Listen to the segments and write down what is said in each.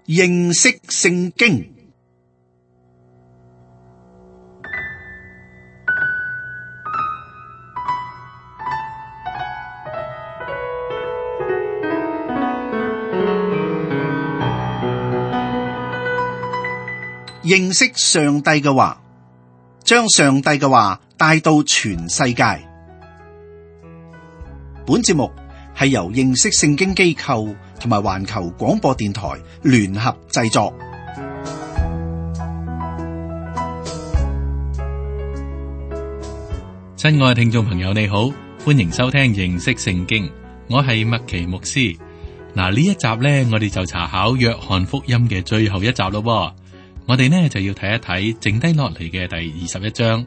認識聖經。認識上帝嘅話，將上帝嘅話帶到全世界。本節目係由認識聖經機構同埋環球廣播電台聯合製作。親愛嘅聽眾朋友，你好，歡迎收聽認識聖經，我係麥奇牧師。嗱，呢一集呢，我哋就查考約翰福音嘅最後一集咯。我哋呢就要睇一睇剩低落嚟嘅第21章。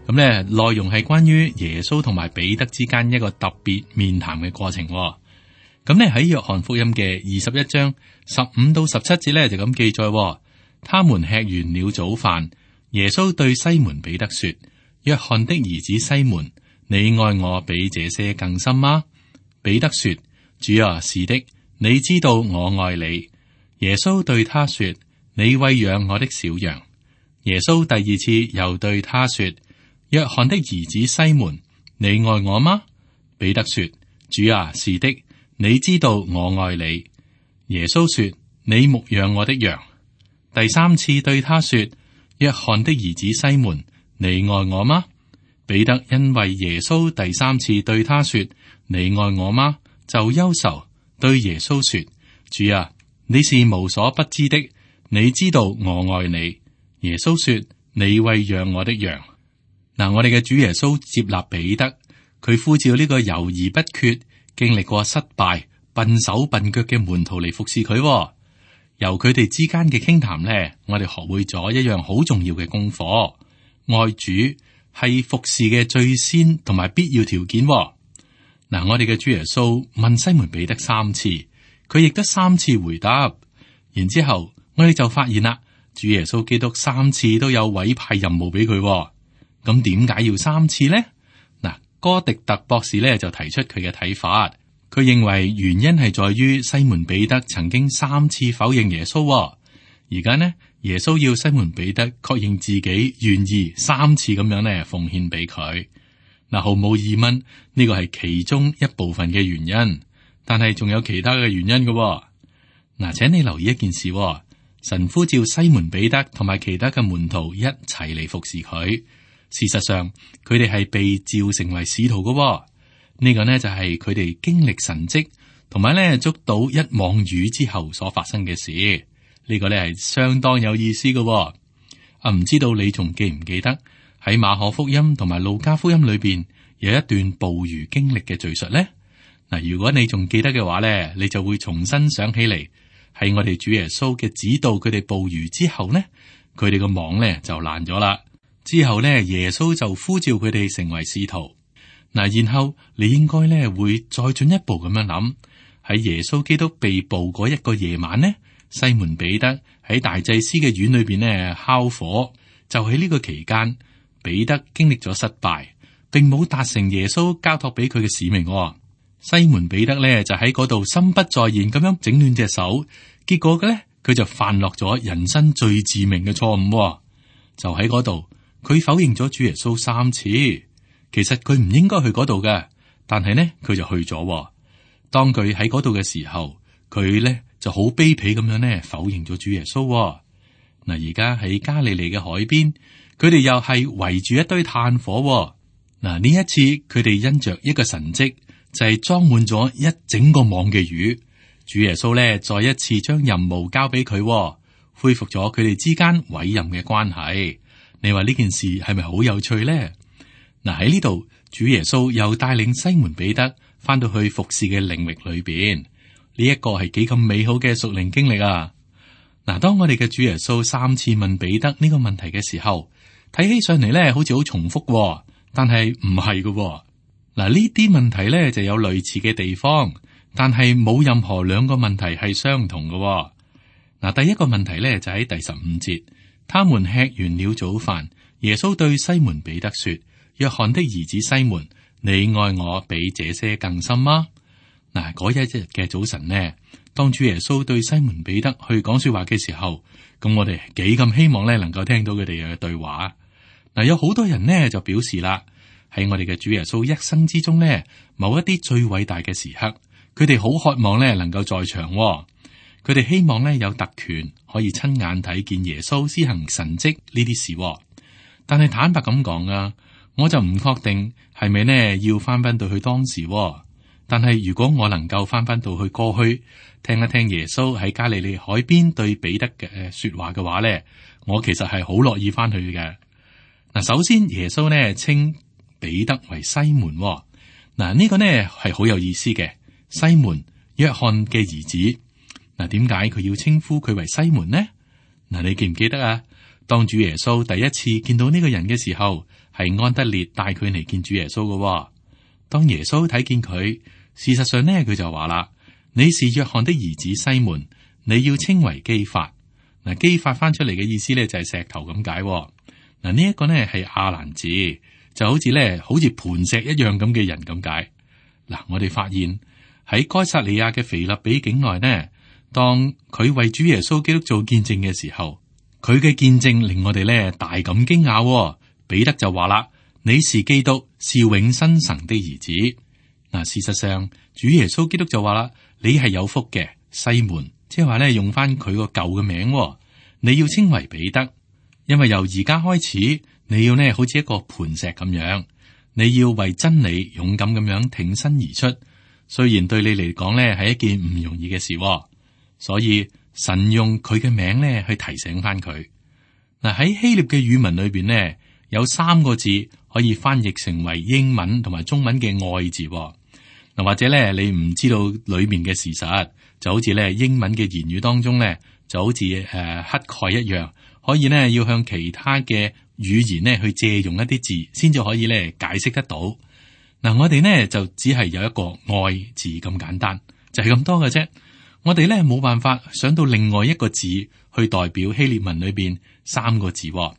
咁呢內容係關於耶穌同埋彼得之間一個特別面談嘅過程。咁呢喺約翰福音嘅21章15到17節呢就咁記載，他們吃完了早飯，耶穌對西門彼得說：約翰的兒子西門，你愛我比這些更深嗎？彼得說：主啊，是的，你知道我愛你。耶穌對他說：你餵養我的小羊。耶穌第二次又對他說：約翰的兒子西門，你愛我嗎？彼得說：主啊，是的，你知道我愛你。耶穌說：你牧養我的羊。第三次對他說：約翰的兒子西門，你愛我嗎？彼得因為耶穌第三次對他說：你愛我嗎？就憂愁，對耶穌說：主啊，你是無所不知的，你知道我愛你。耶穌說：你餵養我的羊。嗱，我哋嘅主耶穌接納彼得，佢呼召呢個猶豫不決、經歷過失敗、笨手笨腳嘅門徒嚟服侍佢。由佢哋之間嘅傾談呢，我哋學會咗一樣好重要嘅功課。愛主係服侍嘅最先同埋必要條件。嗱，我哋嘅主耶穌問西門彼得3次，佢亦得3次回答。然之後我哋就發現啦，主耶穌基督3次都有委派任務俾佢。咁點解要3次呢？嗱，哥迪特博士咧就提出佢嘅睇法，佢認為原因係在於西門彼得曾經3次否認耶穌。而家呢，耶穌要西門彼得確認自己願意3次咁樣呢奉獻俾佢。嗱，毫無疑問呢個係其中一部分嘅原因，但係仲有其他嘅原因嘅。嗱，請你留意一件事，神呼召西門彼得同埋其他嘅門徒一齊嚟服侍佢。事實上，佢哋係被召成為使徒嘅。呢個呢就係佢哋經歷神蹟，同埋呢捉到一網魚之後所發生嘅事。呢個呢係相當有意思嘅。唔知道你仲記唔記得喺馬可福音同埋路加福音裏邊有一段捕魚經歷嘅敘述呢？嗱，如果你仲記得嘅話呢，你就會重新想起嚟，係我哋主耶穌嘅指導，佢哋捕魚之後呢，佢哋個網呢就爛咗啦。之後呢，耶穌就呼召佢哋成為使徒。嗱，然後你應該呢會再進一步咁樣諗，喺耶穌基督被捕嗰一個夜晚呢，西門彼得喺大祭司嘅院裏邊呢烤火，就喺呢個期間，彼得經歷咗失敗，並冇達成耶穌交託俾佢嘅使命。西門彼得呢就喺嗰度心不在焉咁樣整亂隻手，結果嘅呢，佢就犯落咗人生最致命嘅錯誤。就喺嗰度。佢否認咗主耶穌3次，其實佢唔應該去嗰度嘅，但係呢，佢就去咗。當佢喺嗰度嘅時候，佢呢就好卑鄙咁樣呢否認咗主耶穌。嗱，而家喺加利利嘅海邊，佢哋又係圍住一堆炭火。嗱，呢一次佢哋因着一個神蹟，就係裝滿咗一整個網嘅魚。主耶穌呢再一次將任務交俾佢，恢復咗佢哋之間委任嘅關係。你話呢件事係咪好有趣呢？嗱，喺呢度，主耶穌又帶領西門彼得翻到去服侍嘅領域裏邊，呢一個係幾咁美好嘅屬靈經歷啊！嗱，當我哋嘅主耶穌3次問彼得呢個問題嘅時候，睇起上嚟咧好似好重複，但係唔係嘅。嗱，呢啲問題咧就有類似嘅地方，但係冇任何兩個問題係相同嘅。嗱，第一個問題咧就喺第15節。他們吃完了早飯，耶穌對西門彼得說：約翰的兒子西門，你愛我比這些更深嗎？嗱，嗰一日嘅早晨呢，當主耶穌對西門彼得去講說話嘅時候，咁我哋幾咁希望咧能夠聽到佢哋嘅對話。嗱，有好多人呢就表示啦，喺我哋嘅主耶穌一生之中呢，某一啲最偉大嘅時刻，佢哋好渴望咧能夠在場。佢哋希望咧有特權可以親眼睇見耶穌施行神蹟呢啲事。但係坦白咁講啊，我就唔確定係咪呢要翻到去當時。但係如果我能夠翻到去過去，聽一聽耶穌喺加利利海邊對彼得嘅說話嘅話呢，我其實係好樂意翻去嘅。嗱，首先耶穌呢稱彼得為西門。嗱，呢個呢係好有意思嘅。西門，約翰嘅兒子。嗱，點解佢要稱呼佢為西門呢？嗱，你記唔記得啊？當主耶穌第一次見到呢個人嘅時候，係安德烈帶佢嚟見主耶穌嘅。當耶穌睇見佢，事實上呢，佢就話啦：你是約翰的兒子西門，你要稱為基法。嗱，基法翻出嚟嘅意思呢，就係石頭咁解。嗱，呢一個呢係亞蘭字，就好似磐石一樣咁嘅人咁解。嗱，我哋發現喺該撒利亞嘅腓立比境內呢，當佢為主耶穌基督做見證嘅時候，佢嘅見證令我哋呢大感驚訝。彼得就話啦：你是基督，是永生神的兒子。嗱，事實上主耶穌基督就話啦：你係有福嘅西門，即係話呢用翻佢個舊嘅名，你要稱為彼得，因為由而家開始，你要呢好似一個磐石咁樣，你要為真理勇敢咁樣挺身而出。雖然對你嚟講呢係一件唔容易嘅事，所以神用佢嘅名呢去提醒翻佢。嗱，喺希臘嘅語文裏邊呢，有3個字可以翻譯成為英文同埋中文嘅愛字。嗱，或者咧你唔知道裏面嘅事實，就好似咧英文嘅言語當中咧，就好似乞丐一樣，可以呢要向其他嘅語言呢去借用一啲字，先至可以咧解釋得到。嗱，我哋呢就只係有一個愛字咁簡單，就係咁多嘅啫。我哋咧冇辦法想到另外一個字去代表希臘文裏邊3個字。嗱，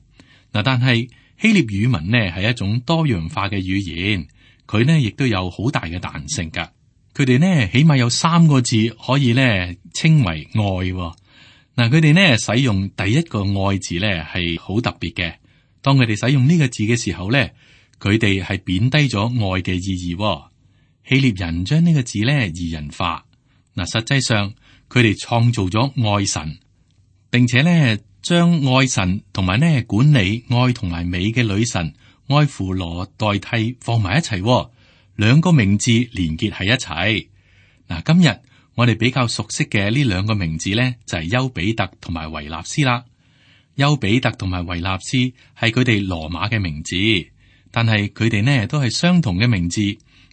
但係希臘語文呢係一種多樣化嘅語言，佢呢亦都有好大嘅彈性噶。佢哋呢起碼有3個字可以呢稱為愛。嗱，佢哋呢使用第一個愛字呢係好特別嘅。當佢哋使用呢個字嘅時候呢，佢哋係貶低咗愛嘅意義。希臘人將呢個字呢擬人化。嗱，實際上佢哋創造咗愛神，並且呢將愛神同埋呢管理愛同埋美嘅女神愛芙羅代替放埋一齊，2個名字連結喺一齊。嗱，今日我哋比較熟悉嘅呢2個名字呢，就係丘比特同埋維納斯啦。丘比特同埋維納斯係佢哋羅馬嘅名字，但係佢哋呢都係相同嘅名字，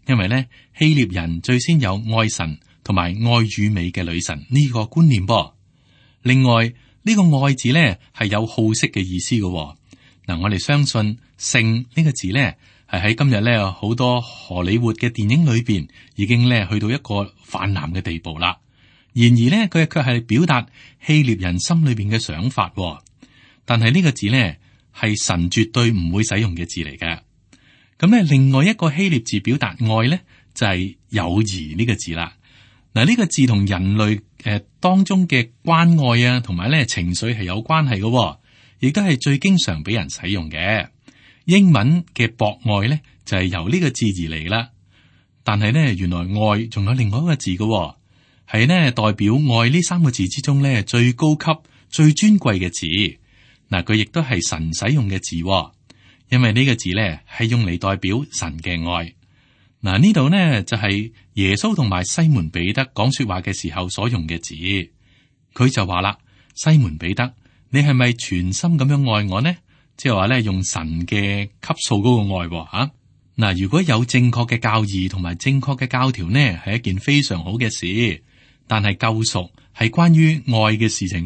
因為呢希臘人最先有愛神同埋愛與美嘅女神呢個觀念噃。另外呢個愛字呢係有好色嘅意思嘅。嗱，我哋相信性呢個字呢係喺今日呢好多荷里活嘅電影裏邊已經呢去到一個泛濫嘅地步啦。然而呢佢卻係表達希臘人心裏邊嘅想法。但係呢個字呢係神絕對唔會使用嘅字嚟嘅。咁呢另外一個希臘字表達愛呢就係友誼呢個字啦。嗱，呢個字同人類當中嘅關愛啊，同埋咧情緒係有關係嘅，亦都係最經常俾人使用嘅。英文嘅博愛咧就係由呢個字而嚟啦。但係咧原來愛仲有另外一個字嘅，係呢代表愛呢3個字之中咧最高級、最尊貴嘅字。嗱，佢亦都係神使用嘅字，因為呢個字咧係用嚟代表神嘅愛。嗱，呢度呢就係耶穌同埋西門彼得講說話嘅時候所用嘅字，佢就話啦：西門彼得，你係咪全心咁樣愛我呢？即係話咧用神嘅級數嗰個愛吓。嗱，如果有正確嘅教義同埋正確嘅教條呢，係一件非常好嘅事。但係救贖係關於愛嘅事情。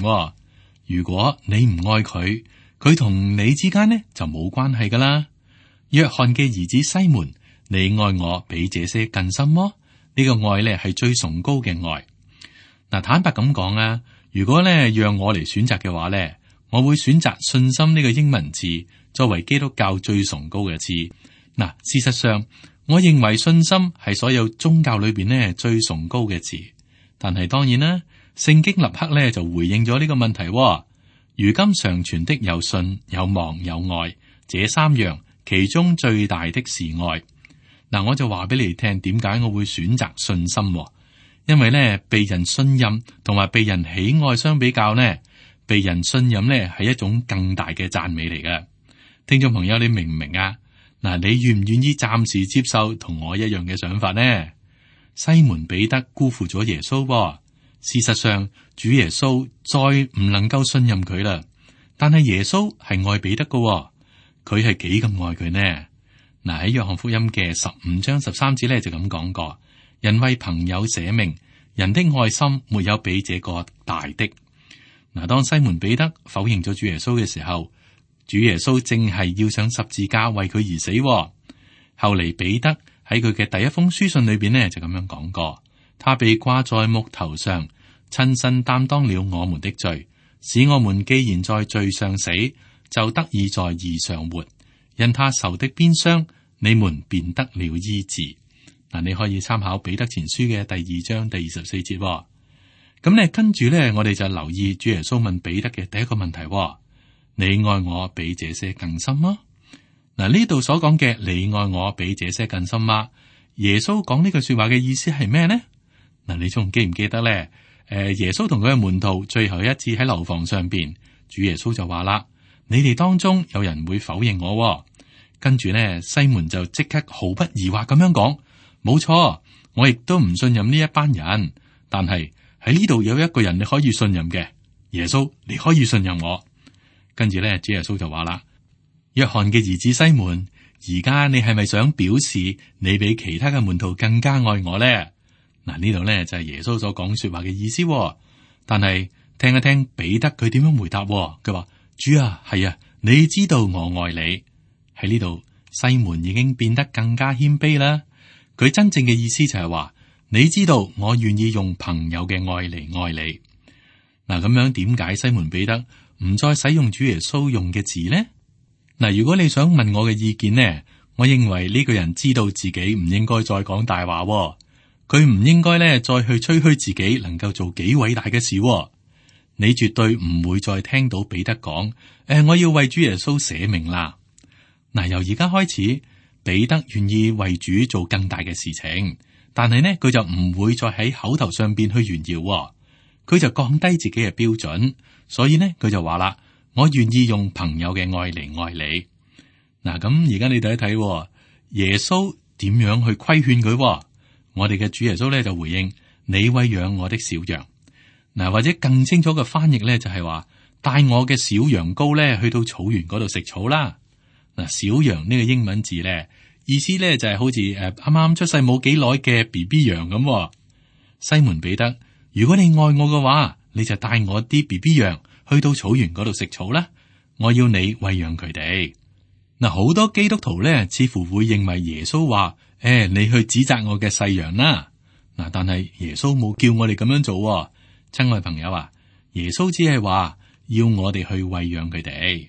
如果你唔愛佢，佢同你之間呢就冇關係噶啦。約翰嘅兒子西門，你愛我比這些更深麼？呢個愛咧係最崇高嘅愛。嗱，坦白咁講啊，如果咧讓我嚟選擇嘅話咧，我會選擇信心呢個英文字作為基督教最崇高嘅字。嗱，事實上，我認為信心係所有宗教裏邊咧最崇高嘅字。但係當然啦，聖經立刻咧就回應咗呢個問題。如今常存的有信、有望、有愛，這三樣，其中最大的是愛。嗱，我就話俾你聽，點解我會選擇信心？因為咧，被人信任同埋被人喜愛相比較呢，被人信任咧係一種更大嘅讚美嚟嘅。聽眾朋友，你明唔明啊？嗱，你願唔願意暫時接受同我一樣嘅想法呢？西門彼得辜負咗耶穌，事實上主耶穌再唔能夠信任佢啦。但係耶穌係愛彼得嘅，佢係幾咁愛佢呢？嗱，喺約翰福音嘅15章13節咧就咁講過：人為朋友捨命，人的愛心沒有比這個大的。嗱，當西門彼得否認咗主耶穌嘅時候，主耶穌正係要上十字架為佢而死。後嚟彼得喺佢嘅第一封書信裏邊呢就咁樣講過：他被掛在木頭上，親身擔當了我們的罪，使我們既然在罪上死，就得以在義上活。因他受的鞭傷，你們便得了醫治。嗱，你可以參考彼得前書嘅第2章第24節。咁呢，跟住呢，我哋就留意主耶穌問彼得嘅第一個問題：你愛我比這些更深嗎？嗱，呢度所講嘅你愛我比這些更深嗎？耶穌講呢句說話嘅意思係咩呢？嗱，你仲記唔記得咧？耶穌同佢嘅門徒最後一次喺樓房上邊，主耶穌就話啦：你哋當中有人會否認我。跟住呢，西門就即刻毫不疑惑咁樣講：冇錯，我亦都唔信任呢一班人，但係喺呢度有一個人你可以信任嘅，耶穌，你可以信任我。跟住咧，主耶穌就話啦：約翰嘅兒子西門，而家你係咪想表示你比其他嘅門徒更加愛我咧？嗱，呢度咧就係耶穌所講說話嘅意思。但係聽一聽彼得佢點樣回答。佢話：主啊，係啊，你知道我愛你。喺呢度，西門已經變得更加謙卑啦。佢真正嘅意思就係話：你知道我願意用朋友嘅愛嚟愛你。嗱，咁樣點解西門彼得唔再使用主耶穌用嘅字呢？嗱，如果你想問我嘅意見呢，我認為呢個人知道自己唔應該再講大話，佢唔應該咧再去吹噓自己能夠做幾偉大嘅事。你絕對唔會再聽到彼得講：我要為主耶穌捨命啦。嗱，由而家開始，彼得願意為主做更大嘅事情，但係呢，佢就唔會再喺口頭上邊去炫耀，佢就降低自己嘅標準。所以呢，佢就話啦：我願意用朋友嘅愛嚟愛你。嗱，咁而家你睇一睇耶穌點樣去規勸佢。我哋嘅主耶穌咧就回應：你餵養我的小羊。嗱，或者更清楚嘅翻譯咧就係話：帶我嘅小羊羔咧去到草原嗰度食草啦。嗱，小羊呢個英文字咧意思咧就係好似啱啱出世冇幾耐嘅 BB 羊咁。西門彼得，如果你愛我嘅話，你就帶我啲 BB 羊去到草原嗰度食草啦。我要你餵養佢哋。嗱，好多基督徒咧似乎會認為耶穌話：你去指責我嘅細羊啦。嗱，但係耶穌冇叫我哋咁樣做。親愛朋友啊，耶穌只係話要我哋去餵養佢哋。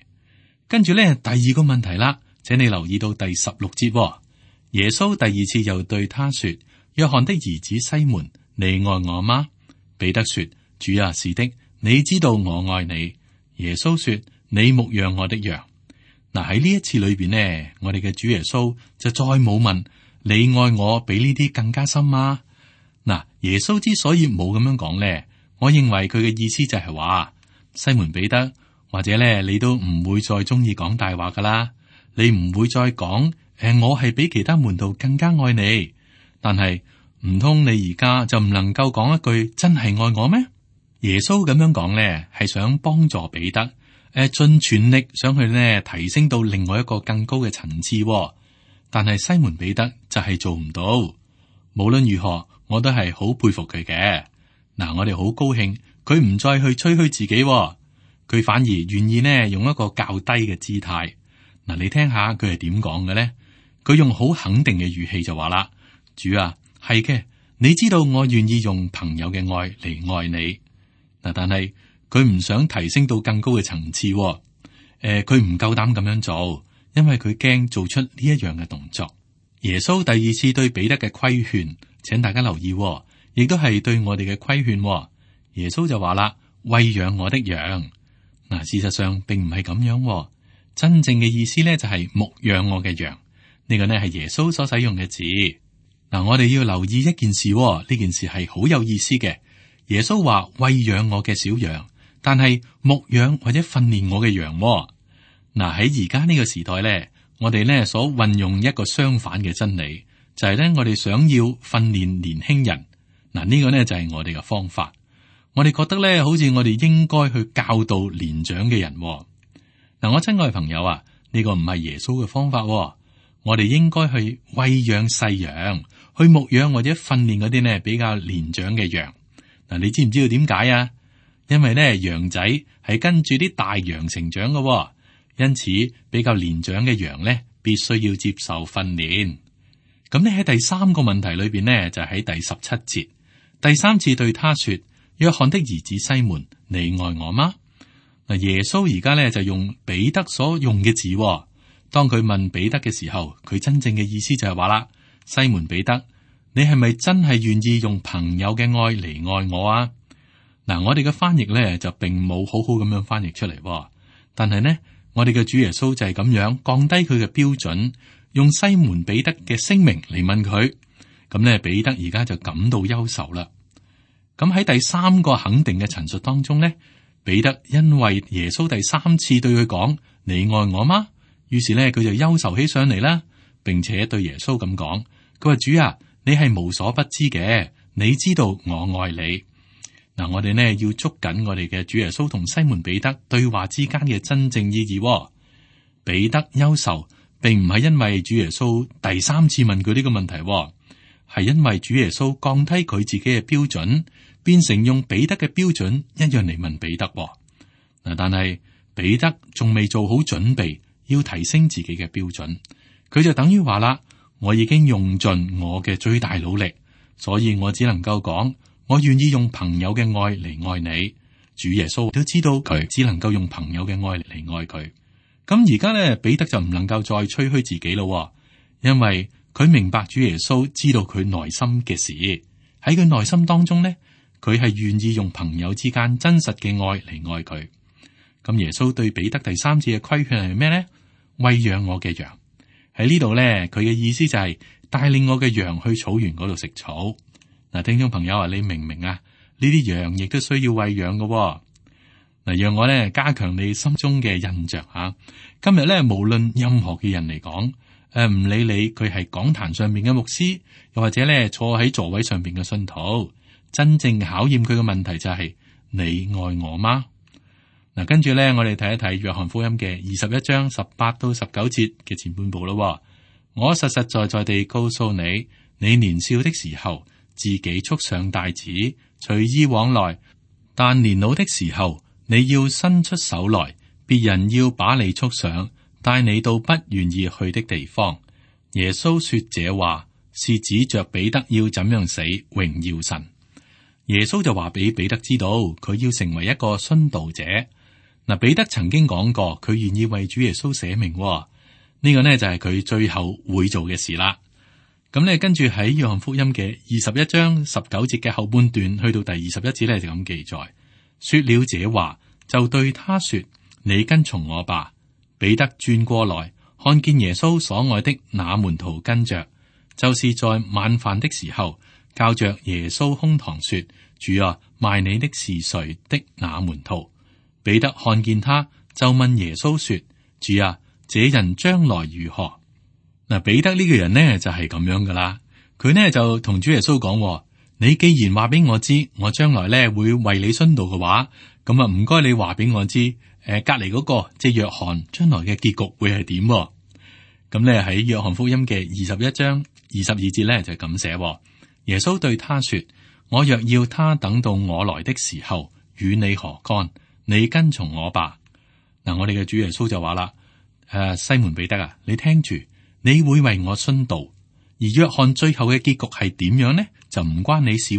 跟住咧，第二個問題啦，請你留意到第16節。耶穌第二次又對他說：約翰的兒子西門，你愛我嗎？彼得說：主啊，是的，你知道我愛你。耶穌說：你牧養我的羊。嗱，喺呢一次裏邊呢，我哋嘅主耶穌就再冇問你愛我比呢啲更加深嗎？嗱，耶穌之所以冇咁樣講咧，我認為佢嘅意思就係話，西門彼得，或者咧你都唔會再中意講大話噶啦，你唔會再講我係比其他門徒更加愛你，但係唔通你而家就唔能夠講一句真係愛我咩？耶穌咁樣講咧，係想幫助彼得。盡全力想去呢提升到另外一個更高嘅層次，但係西門彼得就係做唔到。無論如何，我都係好佩服佢嘅。嗱，我哋好高興佢唔再去吹噓自己，佢反而願意呢用一個較低嘅姿態。嗱，你聽下佢係點講嘅咧？佢用好肯定嘅語氣就話啦：主啊，係嘅，你知道我願意用朋友嘅愛嚟愛你。嗱，但係佢唔想提升到更高嘅層次，佢唔夠膽咁樣做，因為佢驚做出呢一樣嘅動作。耶穌第二次對彼得嘅規勸，請大家留意，亦都係對我哋嘅規勸。耶穌就話啦：餵養我的羊。嗱，事實上並唔係咁樣。真正嘅意思咧就係牧養我嘅羊。呢個呢係耶穌所使用嘅字。嗱，我哋要留意一件事，呢件事係好有意思嘅。耶穌話餵養我嘅小羊，但係牧養或者訓練我嘅羊。嗱，喺而家呢個時代咧，我哋咧所運用一個相反嘅真理，就係咧我哋想要訓練年輕人。嗱，呢個咧就係我哋嘅方法。我哋覺得咧，好似我哋應該去教導年長嘅人。嗱，我親愛嘅朋友啊，呢個唔係耶穌嘅方法。我哋應該去餵養細羊，去牧養或者訓練嗰啲呢比較年長嘅羊。嗱，你知唔知道點解啊？因為咧羊仔係跟住啲大羊成長嘅，因此比較年長嘅羊咧必須要接受訓練。咁咧喺第三個問題裏邊呢，就喺第17節，第三次對他說：約翰的兒子西門，你愛我嗎？嗱，耶穌而家咧就用彼得所用嘅字。當佢問彼得嘅時候，佢真正嘅意思就係話啦：西門彼得，你係咪真係願意用朋友嘅愛嚟愛我啊？嗱，我哋嘅翻譯咧就並冇好好咁樣翻譯出嚟，但係呢，我哋嘅主耶穌就係咁樣降低佢嘅標準，用西門彼得嘅聲明嚟問佢。咁咧，彼得而家就感到憂愁啦。咁喺第三個肯定嘅陳述當中呢，彼得因為耶穌第三次對佢講：你愛我嗎？於是咧，佢就憂愁起上嚟啦，並且對耶穌咁講：佢話主啊，你係無所不知嘅，你知道我愛你。嗱，我哋呢要捉緊我哋嘅主耶穌同西門彼得對話之間嘅真正意義。彼得憂愁，並唔係因為主耶穌第三次問佢呢個問題，係因為主耶穌降低佢自己嘅標準，變成用彼得嘅標準一樣嚟問彼得。嗱，但係彼得仲未做好準備，要提升自己嘅標準，佢就等於話啦：我已經用盡我嘅最大努力，所以我只能夠講，我願意用朋友嘅愛嚟愛你。主耶穌都知道佢只能夠用朋友嘅愛嚟愛佢。咁而家咧，彼得就唔能夠再吹噓自己咯，因為佢明白主耶穌知道佢內心嘅事，喺佢內心當中咧，佢係願意用朋友之間真實嘅愛嚟愛佢。咁耶穌對彼得第三次嘅規勸係咩咧？餵養我嘅羊。喺呢度咧，佢嘅意思就係帶領我嘅羊去草原嗰度食草。嗱，聽眾朋友啊，你明唔明啊？呢啲羊亦都需要餵養嘅。嗱，讓我咧加強你心中嘅印象吓。今日咧，無論任何嘅人嚟講，唔理你佢係講壇上邊嘅牧師，又或者咧坐喺座位上邊嘅信徒，真正考驗佢嘅問題就係：你愛我嗎？嗱，跟住咧，我哋睇一睇約翰福音嘅21章18到19節嘅前半部咯。我實實在在地告訴你，你年少的時候，自己束上帶子，隨意往來；但年老的時候，你要伸出手來，別人要把你束上，帶你到不願意去的地方。耶穌說這話，是指着彼得要怎樣死，榮耀神。耶穌就話俾彼得知道，佢要成為一個殉道者。嗱，彼得曾經講過，佢願意為主耶穌捨命。呢個呢就係佢最後會做嘅事啦。咁呢，跟住喺約翰福音嘅21章19節嘅後半段，去到第21節呢，就咁記載。說了這話，就對他說：你跟從我吧。彼得轉過來，看見耶穌所愛的那門徒跟着，就是在晚飯的時候，靠着耶穌胸膛說：主啊，賣你的是誰的那門徒。彼得看見他，就問耶穌說：主啊，這人將來如何？嗱，彼得呢個人呢就係咁樣噶啦。佢呢就同主耶穌講：你既然話俾我知，我將來呢會為你殉道嘅話，咁啊唔該你話俾我知，隔籬嗰個即係約翰將來嘅結局會係點？咁呢喺約翰福音嘅21章22節呢就咁寫：耶穌對他說：我若要他等到我來的時候，與你何干？你跟從我吧。嗱，我哋嘅主耶穌就話啦：西門彼得啊，你聽住，你會為我殉道，而約翰最後嘅結局係點樣呢？就唔關你事。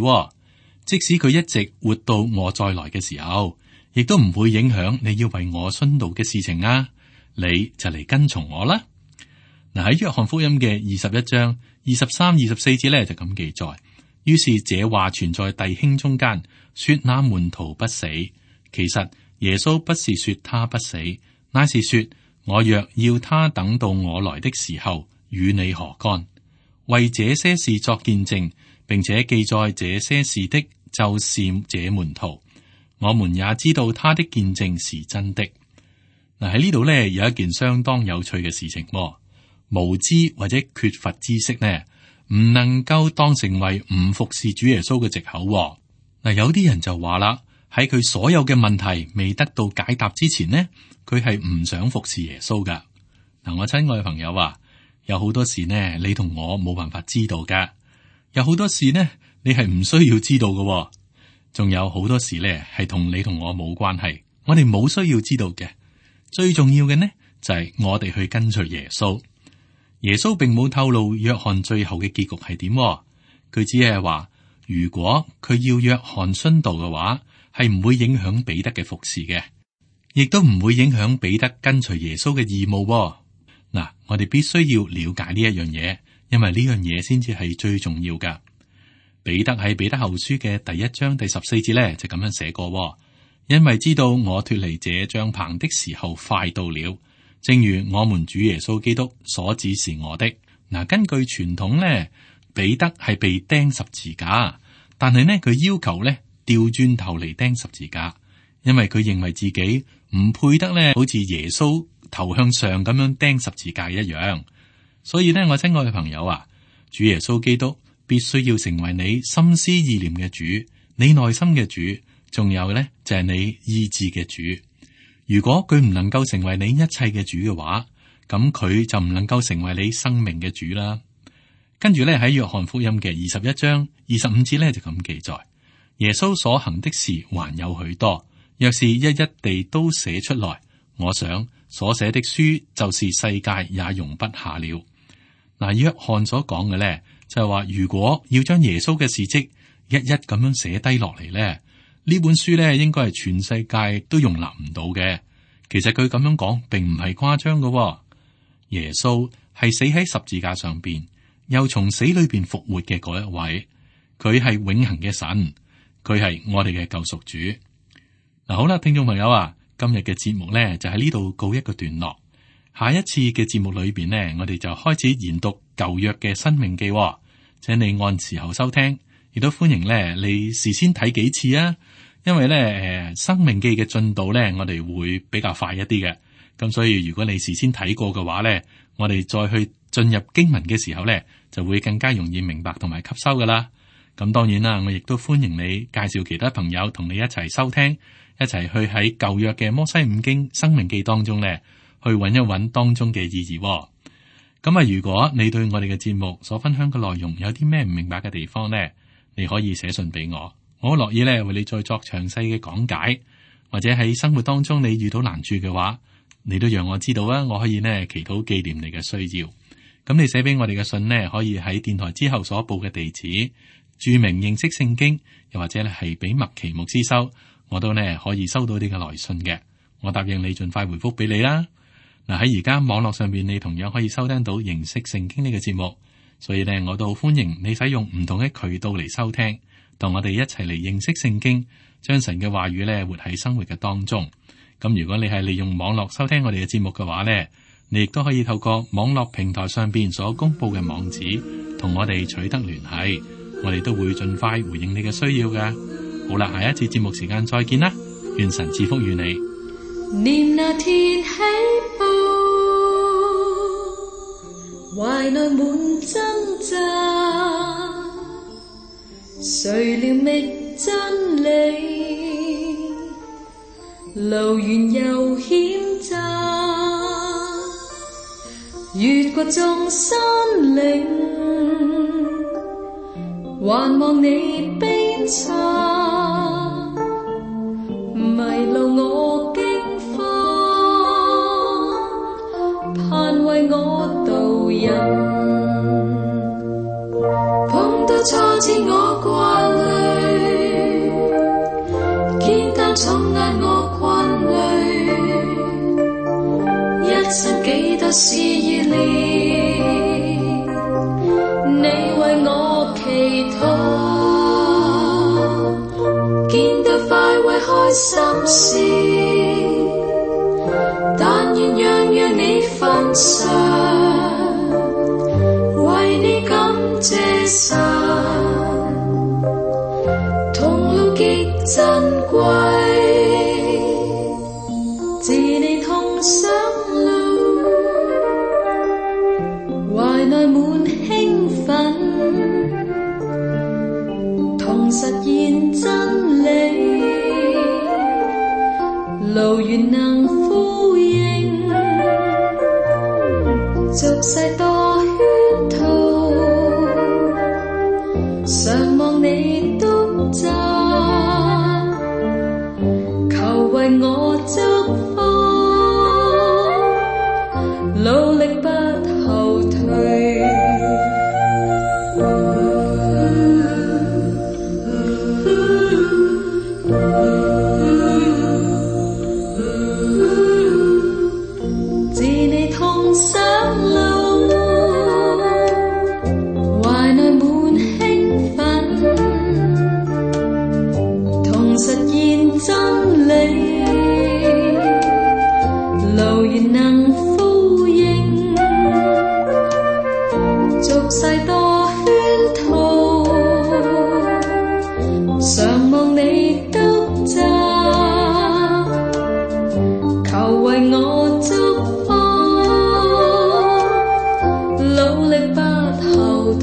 即使佢一直活到我再來嘅時候，亦都唔會影響你要為我殉道嘅事情啊！你就嚟跟從我啦。嗱，喺約翰福音嘅21章23、24節咧就咁記載：於是這話傳在弟兄中間，說那門徒不死。其實耶穌不是說他不死，乃是說我若要他等到我來的時候，與你何干？為這些事作見證，並且記載這些事的，就是這門徒。我們也知道他的見證是真的。嗱，喺呢度呢，有一件相當有趣嘅事情，無知或者缺乏知識呢，唔能夠當成為唔服侍主耶穌嘅藉口。嗱，有啲人就話啦，喺佢所有嘅問題未得到解答之前呢，佢係唔想服侍耶穌噶。嗱，我親愛嘅朋友話，有好多事呢，你同我冇辦法知道噶；有好多事呢，你係唔需要知道噶。仲有好多事呢，係同你同我冇關係，我哋冇需要知道嘅。最重要嘅呢，就係我哋去跟隨耶穌。耶穌並冇透露約翰最後嘅結局係點，佢只係話如果佢要約翰殉道嘅話，係唔會影響彼得嘅服侍嘅，亦都唔會影響彼得跟隨耶穌嘅義務。嗱，我哋必須要了解呢一樣嘢，因為呢樣嘢先至係最重要噶。彼得喺彼得後書嘅第1章第14節咧就咁樣寫過，因為知道我脫離這帳棚的時候快到了，正如我們主耶穌基督所指示我的。嗱，根據傳統咧，彼得係被釘十字架，但係呢，佢要求咧調轉頭嚟釘十字架，因為佢認為自己唔配得咧好似耶穌頭向上咁樣釘十字架一樣。所以呢，我親愛嘅朋友啊，主耶穌基督必須要成為你心思意念嘅主，你內心嘅主，仲有呢，就係你意志嘅主。如果佢唔能夠成為你一切嘅主嘅話，咁佢就唔能夠成為你生命嘅主啦。跟住咧喺約翰福音嘅21章25節咧就咁記載，耶穌所行的事還有許多，若是一一地都寫出來，我想所寫的書就是世界也容不下了。嗱，約翰所講嘅咧就係話，如果要將耶穌嘅事蹟一一咁樣寫低落嚟咧，呢本書咧應該係全世界都容納唔到嘅。其實佢咁樣講並唔係誇張嘅。耶穌係死喺十字架上邊，又從死裏邊復活嘅嗰一位，佢係永恆嘅神，佢係我哋嘅救贖主。嗱，好啦，聽眾朋友啊，今日嘅節目咧就喺呢度告一個段落。下一次嘅節目裏邊呢，我哋就開始研讀舊約嘅申命記，請你按時候收聽，亦都歡迎咧你事先睇幾次啊。因為咧申命記嘅進度咧，我哋會比較快一啲嘅，咁所以如果你事先睇過嘅話咧，我哋再去進入經文嘅時候咧，就會更加容易明白同埋吸收噶啦。咁當然啦，我亦都歡迎你介紹其他朋友同你一齊收聽，一齊去喺舊約嘅摩西五經申命記當中咧，去揾一揾當中嘅意義。咁啊，如果你對我哋嘅節目所分享嘅內容有啲咩唔明白嘅地方咧，你可以寫信俾我，我樂意咧為你再作詳細嘅講解，或者喺生活當中你遇到難處嘅話，你都讓我知道啊，我可以呢祈禱紀念你嘅需要。咁你寫俾我哋嘅信呢，可以喺電台之後所報嘅地址注明認識聖經，又或者咧係俾麥奇牧師收，我都呢可以收到你嘅來信嘅。我答應你盡快回覆俾你啦。嗱，喺而家網絡上邊，你同樣可以收聽到認識聖經呢個節目，所以呢，我都好歡迎你使用唔同嘅渠道嚟收聽，同我哋一齊嚟認識聖經，將神嘅話語呢活喺生活嘅當中。咁如果你係利用網絡收聽我哋嘅節目嘅話呢，你亦都可以透過網絡平台上邊所公布嘅網址，同我哋取得聯繫，我哋都會盡快回應你嘅需要嘅。好啦，下一次節目時間再見啦，願神賜福於你。念那天起步，懷內滿掙扎，誰料覓真理，路遠又險窄，越過眾山嶺，還望你鞭策，迷路我盼為我導引，碰到挫折我掛慮，肩擔重壓我困累，一生幾多事與你，你為我祈禱。開心事，但願樣樣你分享，為你感謝神，同路極珍貴，自你同上路，懷內滿興奮，同實現真理，路原能呼應，俗世多圈套，常望你督責，求為我祝福，努力不後退。自你同上路，懷內滿興奮，同實現真理，路原能呼應，俗世多圈套，常望你督責，求為我祝福，努力不後退。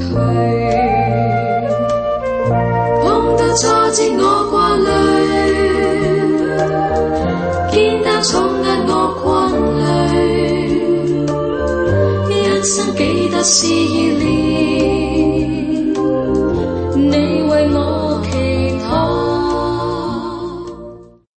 碰到挫折我掛慮，肩擔重壓我困累，一生幾多事要